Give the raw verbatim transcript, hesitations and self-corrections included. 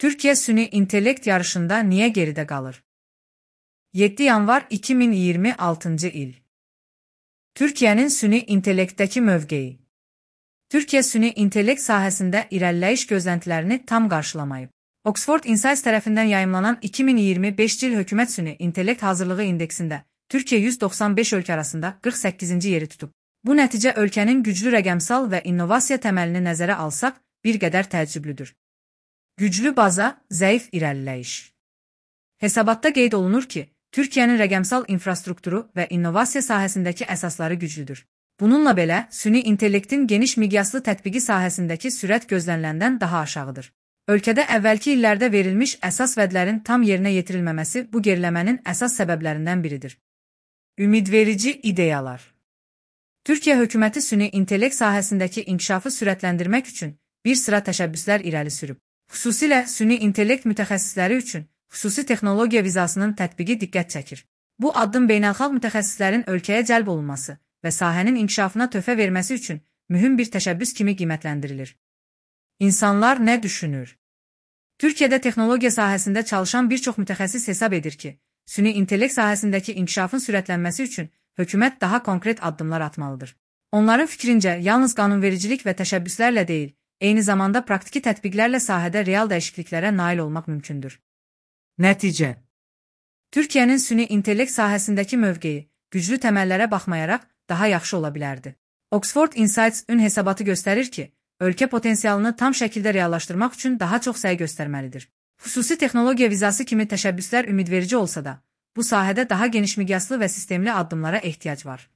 Türkiye süni intellekt yarışında niye geride qalır? yeddi yanvar iki min iyirmi altıncı il. Türkiye'nin süni intellektdəki mövqeyi. Türkiye süni intellekt sahəsində irəliləyiş gözləntilərini tam qarşılamayıb. Oxford Insights tərəfindən yayımlanan iki min iyirmi beşinci il hökumət süni intellekt hazırlığı indeksində Türkiye yüz doxsan beş ölkə arasında qırx səkkizinci yeri tutub. Bu nəticə ölkənin güclü rəqəmsal və innovasiya təməlini nəzərə alsaq bir qədər təəccüblüdür. Güclü baza, zəif irəliləyiş. Hesabatda qeyd olunur ki, Türkiye'nin rəqəmsal infrastrukturu və innovasiya sahəsindəki əsasları güclüdür. Bununla belə, süni intellektin geniş miqyaslı tətbiqi sahəsindəki sürət gözləniləndən daha aşağıdır. Ölkədə əvvəlki illərdə verilmiş əsas vədlərin tam yerinə yetirilməməsi bu geriləmənin əsas səbəblərindən biridir. Ümidverici ideyalar. Türkiye hökuməti süni intellekt sahəsindəki inkişafı sürətləndirmək üçün bir sıra təşəbbüslər irəli sürüb. Xüsusilə süni intellekt mütəxəssisləri üçün xüsusi texnologiya vizasının tətbiqi diqqət çəkir. Bu addım beynəlxalq mütəxəssislərin ölkəyə cəlb olunması və sahənin inkişafına töhfə verməsi üçün mühüm bir təşəbbüs kimi qiymətləndirilir. İnsanlar nə düşünür? Türkiye'də texnologiya sahəsində çalışan bir çox mütəxəssis hesab edir ki, süni intellekt sahəsindəki inkişafın sürətlənməsi üçün hökumət daha konkret addımlar atmalıdır. Onların fikrincə, yalnız qanunvericilik və təşəbbüslərlə deyil, eyni zamanda praktiki tətbiqlərlə sahədə real dəyişikliklərə nail olmaq mümkündür. Nəticə. Türkiye'nin süni intellekt sahəsindəki mövqeyi güclü təməllərə baxmayaraq daha yaxşı ola bilərdi. Oxford Insights ün hesabatı göstərir ki, ölkə potensialını tam şəkildə reallaşdırmaq üçün daha çox səy göstərməlidir. Xüsusi texnologiya vizası kimi təşəbbüslər ümidverici olsa da, bu sahədə daha geniş miqyaslı və sistemli addımlara ehtiyac var.